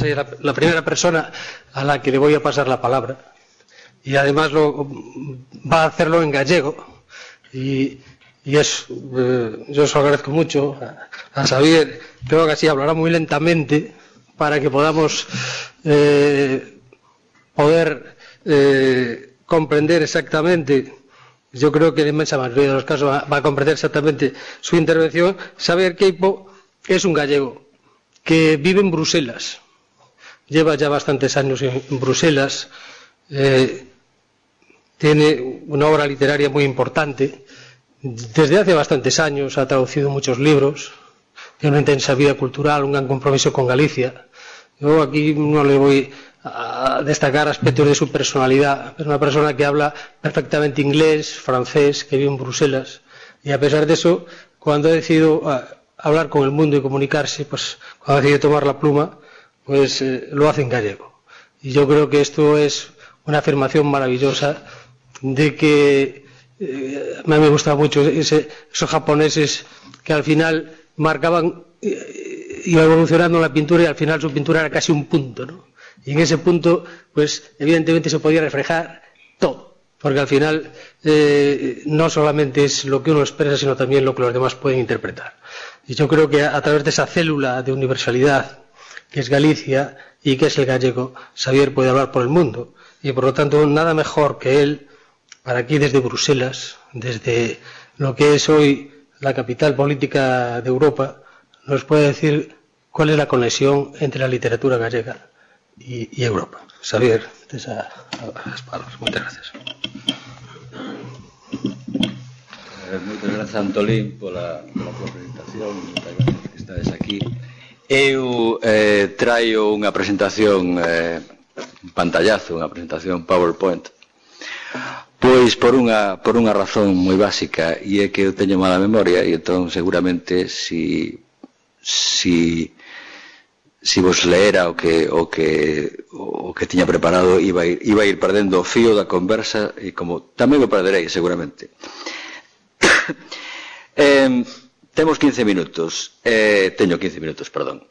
Soy la primera persona a la que le voy a pasar la palabra. Y además va a hacerlo en gallego. Y yo se lo agradezco mucho a Xavier. Creo que así hablará muy lentamente para que podamos poder comprender exactamente. Yo creo que en la inmensa mayoría de los casos va a comprender exactamente su intervención. Xavier Queipo es un gallego que vive en Bruselas. Lleva ya bastantes años en Bruselas. Tiene una obra literaria muy importante. Desde hace bastantes años ha traducido muchos libros. Tiene una intensa vida cultural, un gran compromiso con Galicia. Yo aquí no le voy a destacar aspectos de su personalidad. Es una persona que habla perfectamente inglés, francés, que vive en Bruselas. Y a pesar de eso, cuando ha decidido hablar con el mundo y comunicarse, pues cuando ha decidido tomar la pluma, pues lo hace en gallego. Y yo creo que esto es una afirmación maravillosa de que a mí me gusta mucho esos japoneses que al final marcaban, iba evolucionando la pintura y al final su pintura era casi un punto, ¿no? Y en ese punto, pues evidentemente se podía reflejar todo, porque al final no solamente es lo que uno expresa, sino también lo que los demás pueden interpretar. Y yo creo que a través de esa célula de universalidad que es Galicia y que es el gallego, Xavier puede hablar por el mundo. Y por lo tanto, nada mejor que él, para aquí desde Bruselas, desde lo que es hoy la capital política de Europa, nos puede decir cuál es la conexión entre la literatura gallega y Europa. Xavier, las palabras. Muchas gracias. Moitas grazas, Antolín, pola presentación. Moitas grazas que estades aquí. Eu traio unha presentación un pantallazo, unha presentación PowerPoint, pois por unha razón moi básica, e é que eu teño mala memoria, e entón seguramente si vos leera o que tiña preparado iba a ir perdendo o fío da conversa, e como tamén o perderei seguramente. Temos 15 minutos. Teño 15 minutos, perdón.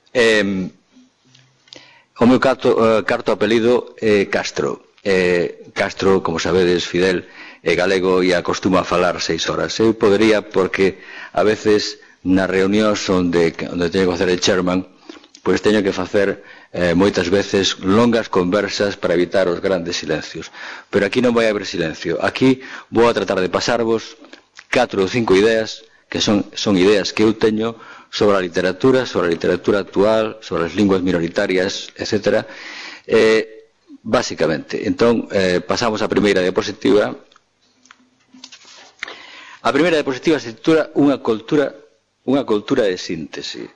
O meu carto apelido é Castro. Castro, como sabedes, Fidel, é galego e acostuma a falar 6 horas. Eu podería, porque a veces nas reunións onde teño que facer de chairman, pois teño que facer moitas veces longas conversas para evitar os grandes silencios. Pero aquí non vai haber silencio. Aquí vou a tratar de pasarvos 4 ou 5 ideas que son ideas que eu teño sobre a literatura actual, sobre as linguas minoritarias, etc. Básicamente. Entón, pasamos á primeira diapositiva. A primeira diapositiva se titula unha cultura de síntese.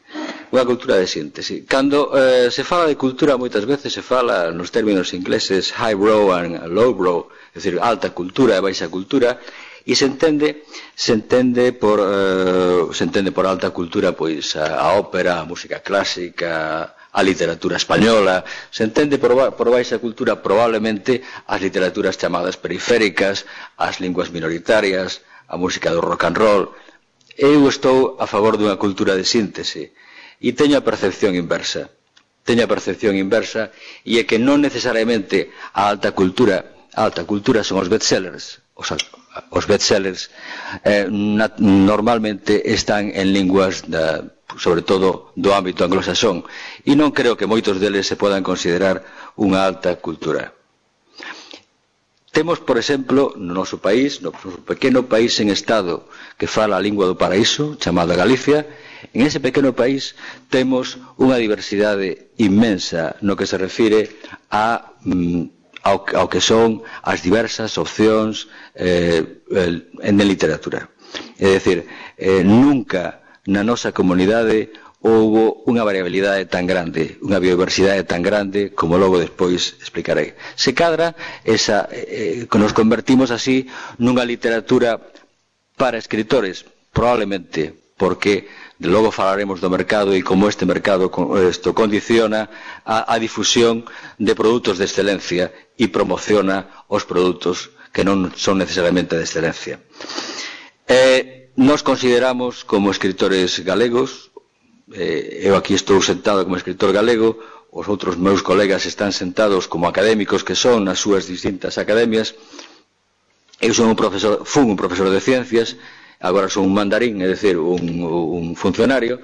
Unha cultura de síntese. Cando se fala de cultura, moitas veces se fala nos términos ingleses highbrow and lowbrow, é dicir, alta cultura e baixa cultura, e se entende por alta cultura pois a ópera, a música clásica, a literatura española. Se entende por baixa cultura probablemente as literaturas chamadas periféricas, as linguas minoritarias, a música do rock and roll. Eu estou a favor dunha cultura de síntese e teño a percepción inversa. E é que non necesariamente a alta cultura son os bestsellers. Os bestsellers normalmente están en linguas sobre todo do ámbito anglosaxón, e non creo que moitos deles se podan considerar unha alta cultura. Temos, por exemplo, no noso país, no noso pequeno país en estado que fala a lingua do paraíso, chamada Galicia. En ese pequeno país temos unha diversidade inmensa no que se refire ao que son as diversas opcións en literatura. É dicir, nunca na nosa comunidade houbo unha variabilidade tan grande, unha biodiversidade tan grande como logo despois explicarei. Se cadra, que nos convertimos así nunha literatura para escritores, probablemente porque de logo falaremos do mercado e como este mercado condiciona a difusión de produtos de excelencia e promociona os produtos que non son necesariamente de excelencia. Nos consideramos como escritores galegos, eu aquí estou sentado como escritor galego, os outros meus colegas están sentados como académicos que son nas súas distintas academias. Eu fun un profesor de ciencias, agora son un mandarín, é dicir, un funcionario,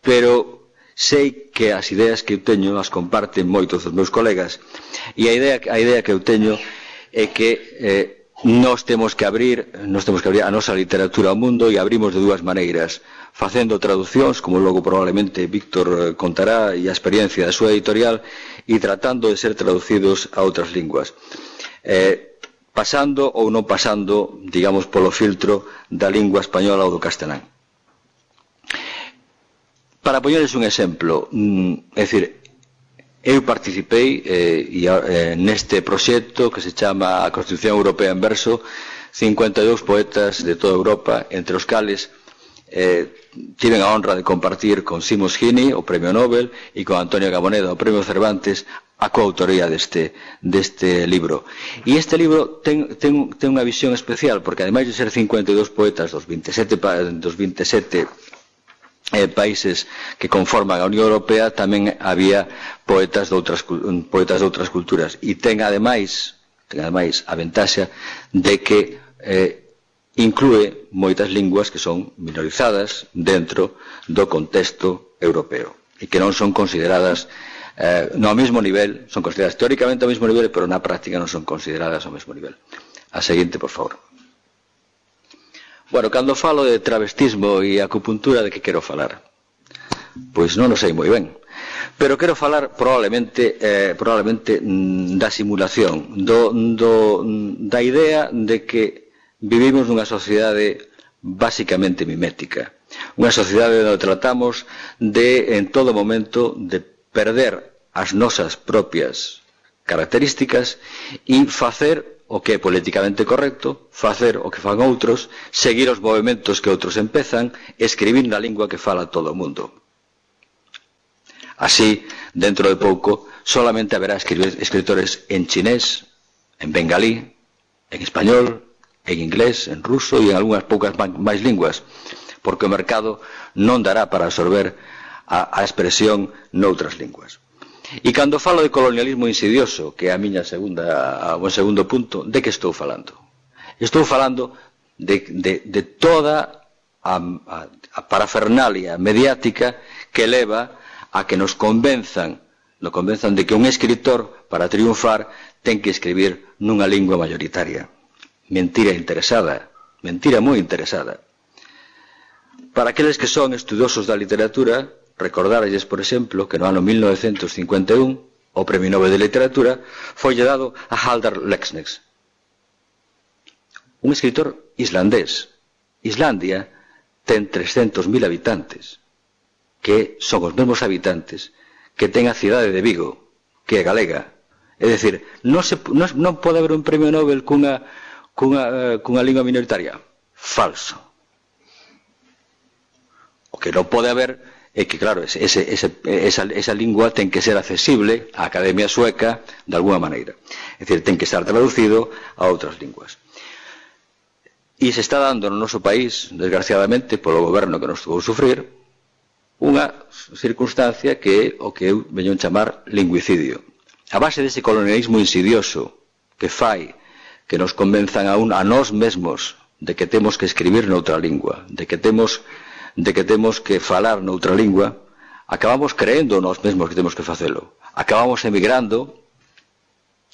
pero sei que as ideas que eu teño as comparten moitos dos meus colegas, e a idea que eu teño é que nós temos que abrir a nosa literatura ao mundo, e abrimos de dúas maneiras: facendo traducións, como logo probablemente Víctor contará, e a experiencia da súa editorial, e tratando de ser traducidos a outras linguas, pasando ou non pasando, digamos, polo filtro da lingua española ou do castelán. Para poñerles un exemplo, é dicir, eu participei neste proxecto que se chama a Constitución Europea en Verso, 52 poetas de toda Europa, entre os cales tiven a honra de compartir con Seamus Heaney, o Premio Nobel, e con Antonio Gamoneda, o Premio Cervantes, a coautoría deste libro. E este libro ten unha visión especial, porque ademais de ser 52 poetas dos 27 países que conforman a Unión Europea, tamén había poetas de outras culturas, e ten ademais a ventaxa de que inclúe moitas linguas que son minorizadas dentro do contexto europeo e que non son consideradas no mesmo nivel, son consideradas teóricamente ao mesmo nivel, pero na práctica non son consideradas ao mesmo nivel. A seguinte, por favor. Bueno, cando falo de travestismo e acupuntura, de que quero falar? Pois non o sei moi ben, pero quero falar probablemente da simulación, da idea de que vivimos nunha sociedade basicamente mimética, unha sociedade onde tratamos de, en todo momento, de perder as nosas propias características e facer o que é políticamente correcto, facer o que fan outros, seguir os movimentos que outros empezan, escribir na lingua que fala todo o mundo. Así, dentro de pouco, solamente haberá escritores en chinés, en bengalí, en español, en inglés, en ruso e en algunhas poucas máis linguas, porque o mercado non dará para absorber a expresión noutras linguas. E cando falo de colonialismo insidioso, que é o meu segundo punto, de que estou falando? Estou falando de toda a parafernalia mediática que leva a que nos convenzan de que un escritor, para triunfar, ten que escribir nunha lingua mayoritaria. Mentira interesada, mentira moi interesada. Para aqueles que son estudiosos da literatura, recordarlles, por exemplo, que no ano 1951 o Premio Nobel de Literatura foi dado a Halldór Laxness, un escritor islandés. Islandia ten 300.000 habitantes, que son os mesmos habitantes que ten a cidade de Vigo, que é galega. É dicir, non pode haber un Premio Nobel cunha lingua minoritaria. Falso. O que non pode haber é que, claro, esa lingua ten que ser accesible á Academia Sueca de alguna maneira. É dicir, ten que estar traducido a outras linguas. E se está dando no noso país, desgraciadamente, polo goberno que nos tocou sufrir, unha circunstancia que é o que eu veño a chamar lingüicidio. A base dese colonialismo insidioso que fai que nos convenzan a nós mesmos de que temos que escribir noutra lingua, de que temos que falar noutra lingua, acabamos creendo nós mesmos que temos que facelo. Acabamos emigrando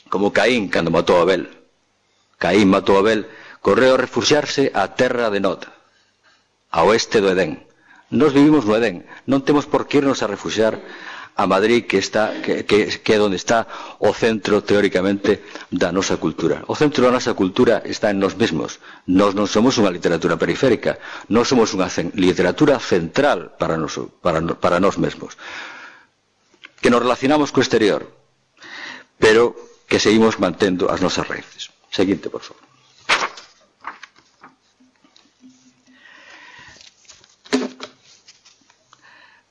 como Caín cando matou a Abel. Caín matou a Abel, correu a refuxiarse á terra de Nod, a oeste do Edén. Nós vivimos no Edén, non temos por que irnos a refuxiar a Madrid, que é onde está o centro, teóricamente, da nosa cultura. O centro da nosa cultura está en nós mesmos. Nós non somos unha literatura periférica, nós somos unha literatura central para nós mesmos, que nos relacionamos co exterior, pero que seguimos mantendo as nosas raíces. Seguinte, por favor.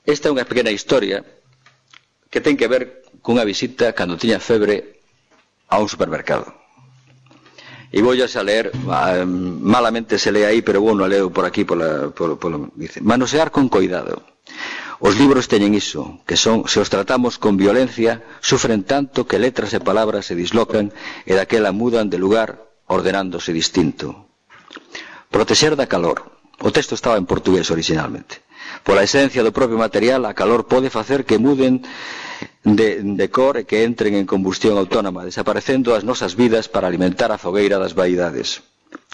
Esta é unha pequena historia que ten que ver cunha visita cando tiña febre a un supermercado. E vou a ler, malamente se lee aí, pero bueno, leo por aquí, dice, manosear con cuidado. Os libros teñen iso, que son, se os tratamos con violencia, sufren tanto que letras e palabras se dislocan e daquela mudan de lugar ordenándose distinto. Protexer da calor. O texto estaba en portugués originalmente. Pola esencia do propio material, a calor pode facer que muden de cor e que entren en combustión autónoma, desaparecendo as nosas vidas para alimentar a fogueira das vaidades.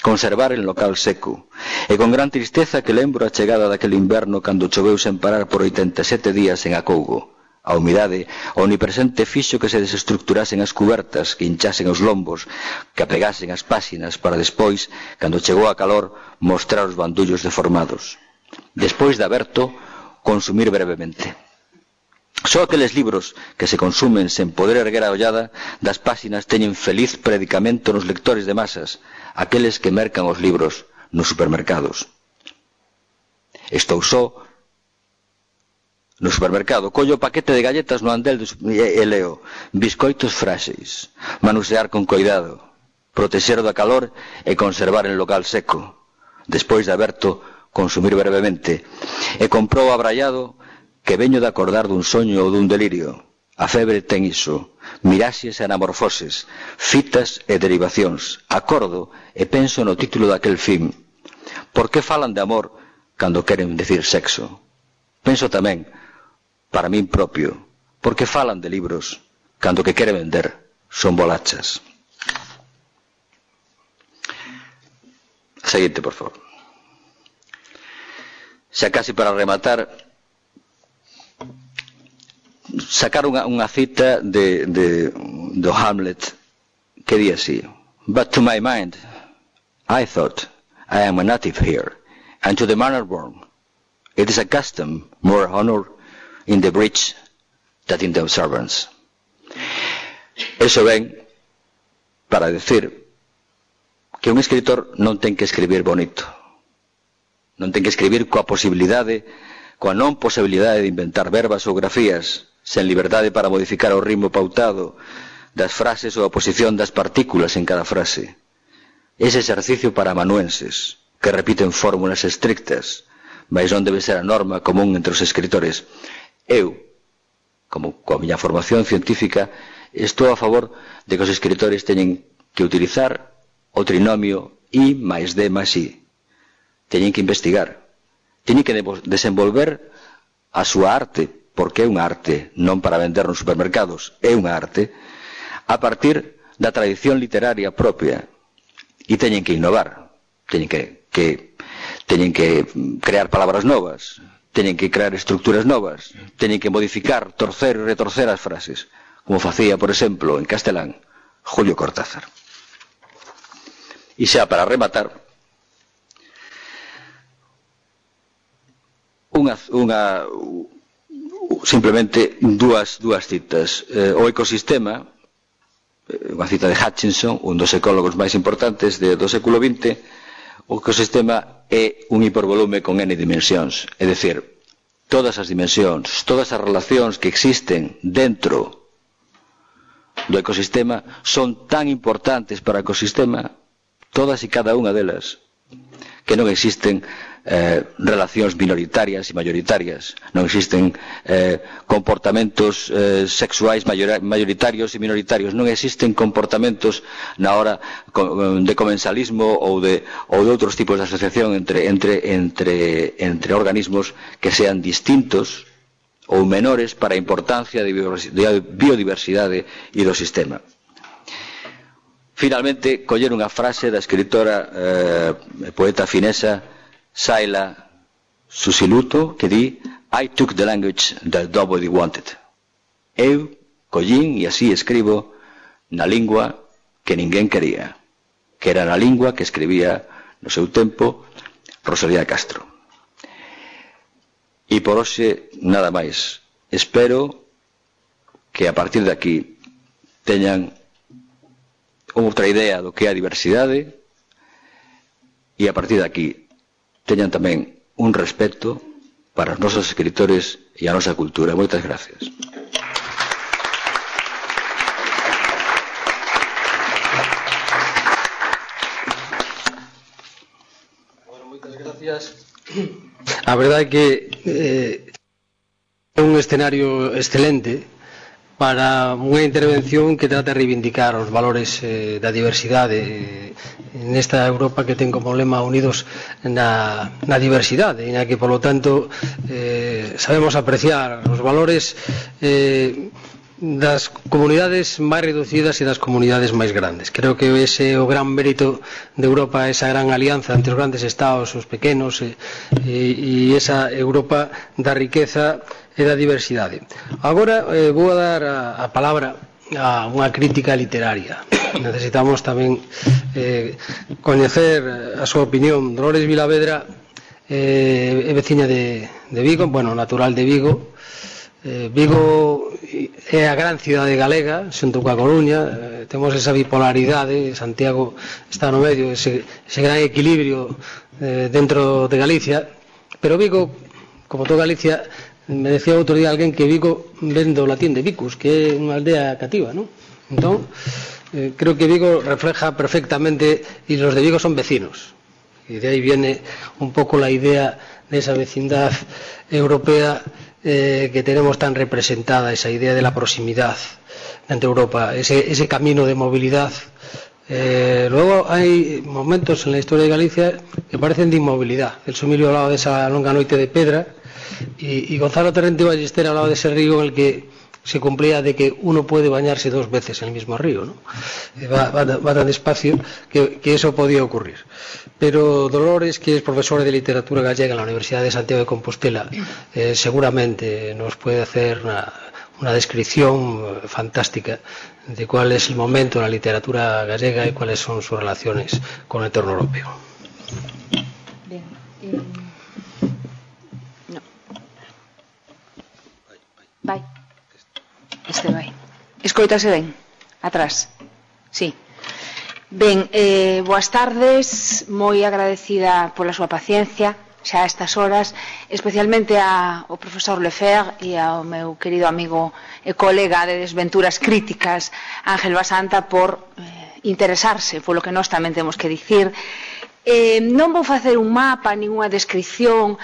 Conservar en local seco. E con gran tristeza que lembro a chegada daquele inverno cando choveu sen parar por 87 días en Acougo. A humidade omnipresente fixo que se desestructurasen as cubertas, que hinchasen os lombos, que apegasen as páxinas para despois, cando chegou a calor, mostrar os bandullos deformados. Despois de aberto, consumir brevemente. Só aqueles libros que se consumen sen poder erguer a ollada das páxinas teñen feliz predicamento nos lectores de masas, aqueles que mercan os libros nos supermercados. Estou só no supermercado, collo o paquete de galletas no andel e leo: biscoitos fráxeis, manusear con coidado, protexer da calor e conservar en local seco. Despois de aberto, consumir brevemente. E comprou abraiado que veño de acordar dun soño ou dun delirio. A febre ten iso, miraxes e anamorfoses, fitas e derivacións. Acordo e penso no título daquel film. Por que falan de amor cando queren decir sexo? Penso tamén, para min propio, por que falan de libros cando que quere vender son bolachas. Seguinte, por favor. Xa casi para rematar, sacar unha cita do Hamlet que di así: But to my mind, I thought, I am a native here, and to the manner born, it is a custom more honor in the breach than in the observance. Eso ven para decir que un escritor non ten que escribir bonito, non ten que escribir coa non posibilidade de inventar verbas ou grafías, sen liberdade para modificar o ritmo pautado das frases ou a posición das partículas en cada frase. Ese exercicio para amanuenses, que repiten fórmulas estrictas, mas non debe ser a norma común entre os escritores. Eu, como coa miña formación científica, estou a favor de que os escritores teñen que utilizar o trinomio I máis D máis I. Teñen que investigar, teñen que desenvolver a súa arte, porque é unha arte, non para vender nos supermercados, é unha arte, a partir da tradición literaria propia. E teñen que innovar, teñen que crear palabras novas, teñen que crear estructuras novas, teñen que modificar, torcer e retorcer as frases, como facía, por exemplo, en castelán, Julio Cortázar. E xa para rematar, simplemente dúas citas. O ecosistema, unha cita de Hutchinson, un dos ecólogos máis importantes do século XX. O ecosistema é un hipervolume con n dimensións, é dicir, todas as dimensións, todas as relacións que existen dentro do ecosistema son tan importantes para o ecosistema, todas e cada unha delas, que non existen relacións minoritarias e mayoritarias, non existen comportamentos sexuais mayoritarios e minoritarios, non existen comportamentos na hora de comensalismo ou de outros tipos de asociación entre organismos que sean distintos ou menores para a importancia de biodiversidade e do sistema. Finalmente, coller unha frase da escritora poeta finesa Saila Susiluto, que di: I took the language that nobody wanted. Eu collín e así escribo na lingua que ninguén quería, que era na lingua que escribía no seu tempo Rosalía de Castro. E por hoxe nada máis. Espero que a partir de aquí teñan outra idea do que é a diversidade e a partir de aquí teñan tamén un respeto para os nosos escritores e a nosa cultura. Moitas gracias. Bueno, moitas gracias. A verdade é que escenario excelente para unha intervención que trata de reivindicar os valores da diversidade nesta Europa que ten como lema unidos na diversidade, e na que, polo tanto, sabemos apreciar os valores das comunidades máis reducidas e das comunidades máis grandes. Creo que ese é o gran mérito de Europa, esa gran alianza entre os grandes estados, os pequenos, e esa Europa da riqueza e da diversidade. Agora vou a dar a palabra a unha crítica literaria. Necesitamos tamén coñecer a súa opinión. Dolores Vilavedra é veciña de Vigo, bueno, natural de Vigo. Vigo é a gran cidade galega, xunto coa Coruña. Temos esa bipolaridade, Santiago está no medio, ese gran equilibrio dentro de Galicia, pero Vigo, como toda Galicia, me decía outro día alguén que Vigo ven do latín de Vicus, que é unha aldea cativa, non? Entón, creo que Vigo refleja perfectamente, e los de Vigo son vecinos, e de aí viene un pouco la idea de esa vecindad europea que tenemos tan representada, esa idea de la proximidad entre Europa, ese camino de movilidad. Luego hay momentos en la historia de Galicia que parecen de inmovilidad. El Emilio hablaba de esa longa noite de pedra, y Gonzalo Torrente Ballester hablaba de ese río en el que se cumplía de que uno puede bañarse 2 veces en el mismo río, ¿no? Va tan despacio que eso podía ocurrir. Pero Dolores, que es profesora de literatura gallega en la Universidad de Santiago de Compostela, seguramente nos puede hacer una descripción fantástica de cuál es el momento de la literatura gallega y cuáles son sus relaciones con el entorno europeo. Bien. No. Vai. Vai. Escoítase ben? Atrás. Sí. Ben, boas tardes, moi agradecida pola súa paciencia xa a estas horas, especialmente ao profesor Lefebvre e ao meu querido amigo e colega de desventuras críticas, Ángel Basanta, por interesarse polo que nós tamén temos que dicir. Non vou facer un mapa, ninguna descripción,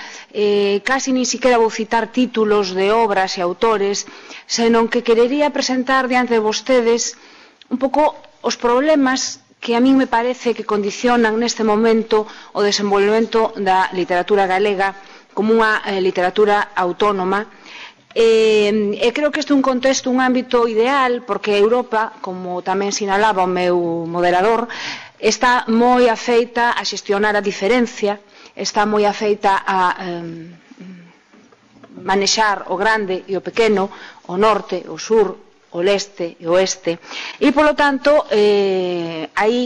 casi nin siquiera vou citar títulos de obras e autores, senón que querería presentar diante de vostedes un pouco os problemas que a min me parece que condicionan neste momento o desenvolvemento da literatura galega como unha literatura autónoma. E creo que este é un contexto, un ámbito ideal, porque Europa, como tamén sinalaba o meu moderador, está moi afeita a xestionar a diferencia, está moi afeita a manexar o grande e o pequeno, o norte, o sur, o leste e o oeste, e polo tanto aí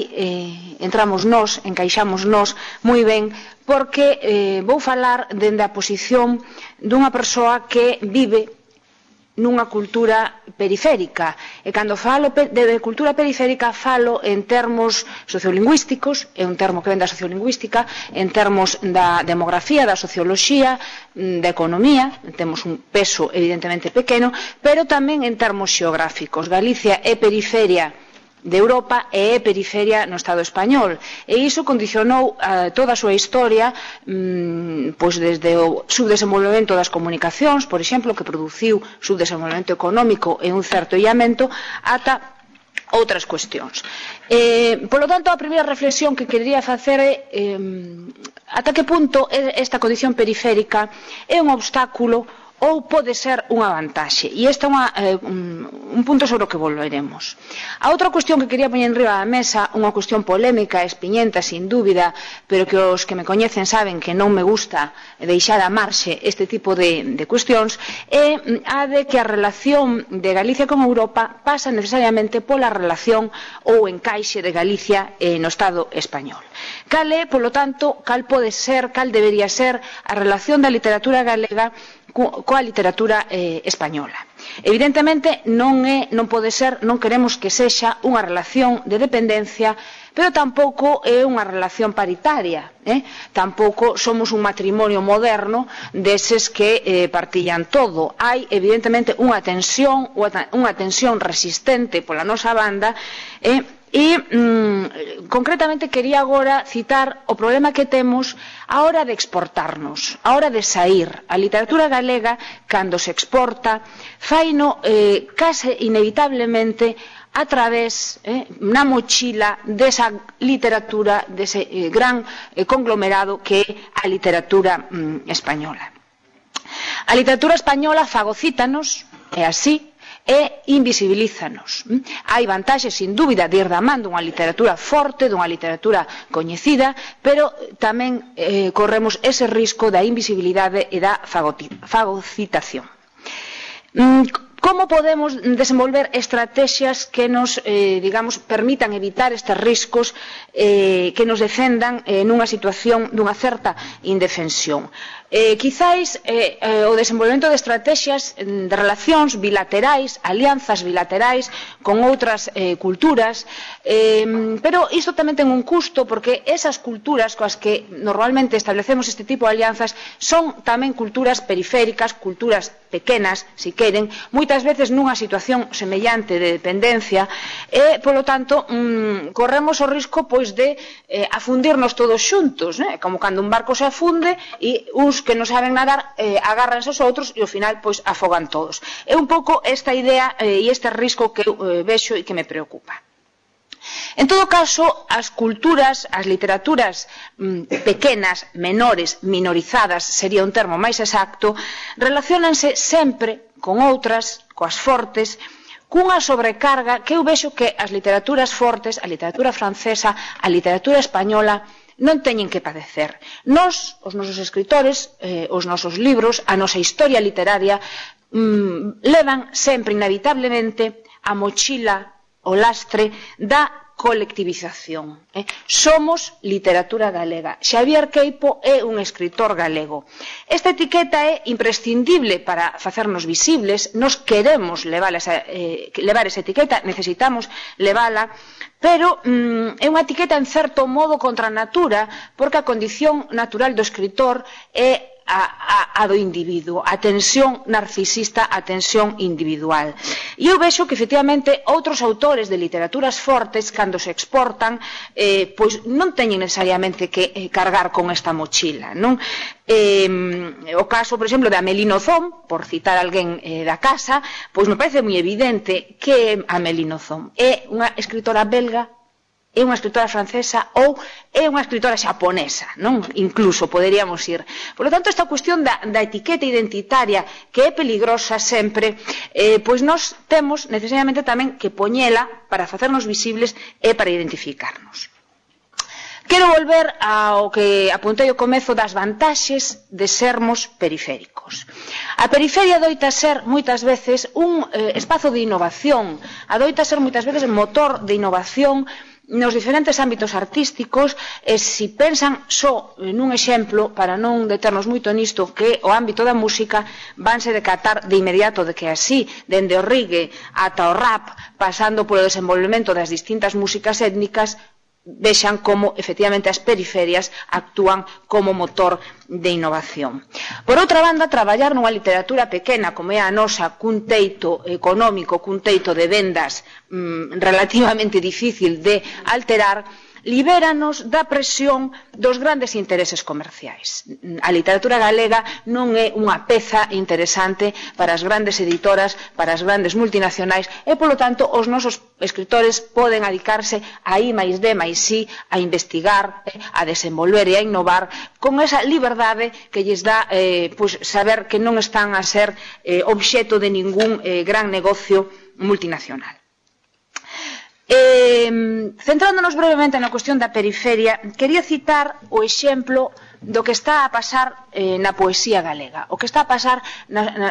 entramos nós, encaixamos nós moi ben, porque vou falar dende a posición dunha persoa que vive nunha cultura periférica, e cando falo de cultura periférica falo en termos sociolingüísticos, é un termo que ven da sociolingüística, en termos da demografía, da socioloxía, da economía, temos un peso evidentemente pequeno, pero tamén en termos xeográficos. Galicia é periferia de Europa e é periferia no Estado español, e iso condicionou toda a súa historia, pois desde o subdesenvolvemento das comunicacións, por exemplo, que produciu subdesenvolvemento económico e un certo illamento, ata outras cuestións. Polo tanto, a primeira reflexión que quería facer é ata que punto esta condición periférica é un obstáculo ou pode ser unha vantaxe. E este é un punto sobre o que volveremos. A outra cuestión que quería poñer enriba da mesa, unha cuestión polémica, espiñenta, sin dúbida, pero que os que me coñecen saben que non me gusta deixar a marxe este tipo de cuestións, é a de que a relación de Galicia con Europa pasa necesariamente pola relación ou encaixe de Galicia no Estado español. Cal é, polo tanto, cal pode ser, cal debería ser a relación da literatura galega coa literatura española. Evidentemente non pode ser, non queremos que sexa unha relación de dependencia, pero tampouco é unha relación paritaria, tampouco somos un matrimonio moderno deses que partillan todo. Hai evidentemente unha tensión resistente pola nosa banda E concretamente quería agora citar o problema que temos a hora de exportarnos, a hora de sair. A literatura galega, cando se exporta, faino case inevitablemente a través, na mochila desa literatura, dese gran conglomerado que é a literatura española. A literatura española fagocítanos, é así, e invisibilízanos. Hai vantaxes, sin dúbida, de ir da man dunha literatura forte, dunha literatura coñecida, pero tamén corremos ese risco da invisibilidade e da fagocitación. Como podemos desenvolver estrategias que nos, digamos, permitan evitar estes riscos, que nos defendan nunha situación dunha certa indefensión? Quizáis o desenvolvemento de estrategias de relacións bilaterais, alianzas bilaterais con outras culturas, pero isto tamén ten un custo, porque esas culturas coas que normalmente establecemos este tipo de alianzas son tamén culturas periféricas, culturas pequenas, si queren, moitas veces nunha situación semellante de dependencia, e, polo tanto, corremos o risco pois de afundirnos todos xuntos, como cando un barco se afunde e uns que non saben nadar agárranse aos outros e ao final pois afogan todos. É un pouco esta idea e este risco que eu vexo e que me preocupa. En todo caso, as culturas, as literaturas pequenas, menores, minorizadas, sería un termo máis exacto, relacionanse sempre con outras, coas fortes, cunha sobrecarga que eu vexo que as literaturas fortes, a literatura francesa, a literatura española, non teñen que padecer. Nós, os nosos escritores, os nosos libros, a nosa historia literaria, levan sempre, inevitablemente, a mochila, o lastre da colectivización. Somos literatura galega. Xavier Queipo é un escritor galego. Esta etiqueta é imprescindible para facernos visibles. Nos queremos levar esa etiqueta, necesitamos levala, pero é unha etiqueta en certo modo contra a natura, porque a condición natural do escritor é a do individuo, a tensión narcisista, a tensión individual. E eu vexo que, efectivamente, outros autores de literaturas fortes, cando se exportan, pois non teñen necesariamente que cargar con esta mochila, non? O caso, por exemplo, de Amélie Nothomb, por citar alguén da casa, pois me parece moi evidente que Amélie Nothomb é unha escritora belga, é unha escritora francesa ou é unha escritora xaponesa, non? Incluso poderíamos ir. Por lo tanto, esta cuestión da etiqueta identitaria, que é peligrosa sempre, pois nós temos necesariamente tamén que poñela para facernos visibles e para identificarnos. Quero volver ao que apuntei ao comezo das vantaxes de sermos periféricos. A periferia adoita ser moitas veces un espazo de innovación, adoita ser moitas veces motor de innovación nos diferentes ámbitos artísticos, e se pensan só nun exemplo, para non deternos moito nisto, que o ámbito da música, vanse decatar de inmediato de que así, dende o reggae ata o rap, pasando polo desenvolvemento das distintas músicas étnicas, vexan como, efectivamente, as periferias actúan como motor de innovación. Por outra banda, traballar nunha literatura pequena como é a nosa, cun teito económico, cun teito de vendas relativamente difícil de alterar, libéranos da presión dos grandes intereses comerciais. A literatura galega non é unha peza interesante para as grandes editoras, para as grandes multinacionais, e, polo tanto, os nosos escritores poden adicarse a I+D+I, a investigar, a desenvolver e a innovar con esa liberdade que lles dá saber que non están a ser obxeto de ningún gran negocio multinacional. Centrándonos brevemente na cuestión da periferia, quería citar o exemplo do que está a pasar na poesía galega, o que está a pasar,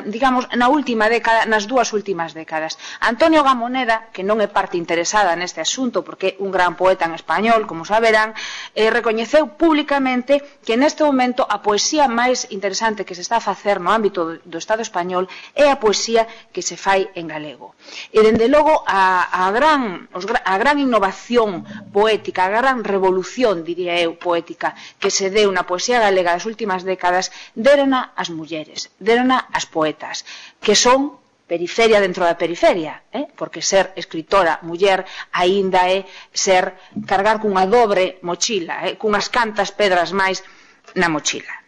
digamos, na última década, nas dúas últimas décadas. Antonio Gamoneda, que non é parte interesada neste asunto, porque é un gran poeta en español, como saberán, recoñeceu públicamente que neste momento a poesía máis interesante que se está a facer no ámbito do Estado español é a poesía que se fai en galego. E, dende logo, a gran innovación poética, a gran revolución, diría eu, poética, que se deu na poesía galega das últimas décadas, derona as mulleres, derona as poetas, que son periferia dentro da periferia, porque ser escritora muller aínda é ser cargar cunha dobre mochila, cunhas cantas pedras máis na mochila.